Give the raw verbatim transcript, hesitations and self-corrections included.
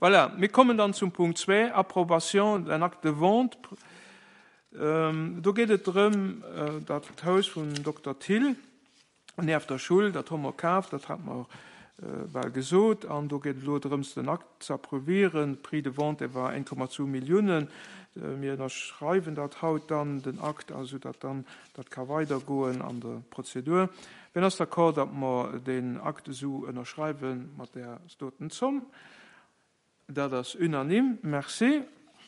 Voilà, mir kommen dann zum Punkt zwee, Approbation d'un acte de vente. Do geet et drëm, dat Haus vum Dokter Thill nieft der Schull, dat hu mer kaf, dat hat mer bal gesot, an do geet et elo drëms, den Akt ze approuvieren. Prix de vente war eng Komma zwou Milliounen. Mir ënnerschreiwen dat haut dann, den Akt, esou datt dann dat ka weidergoen an der Prozedur. Wien ass d'accord, datt mer deen Akt esou ënnerschreiwe mat där doten Zomm? Dat ass unanime. Merci.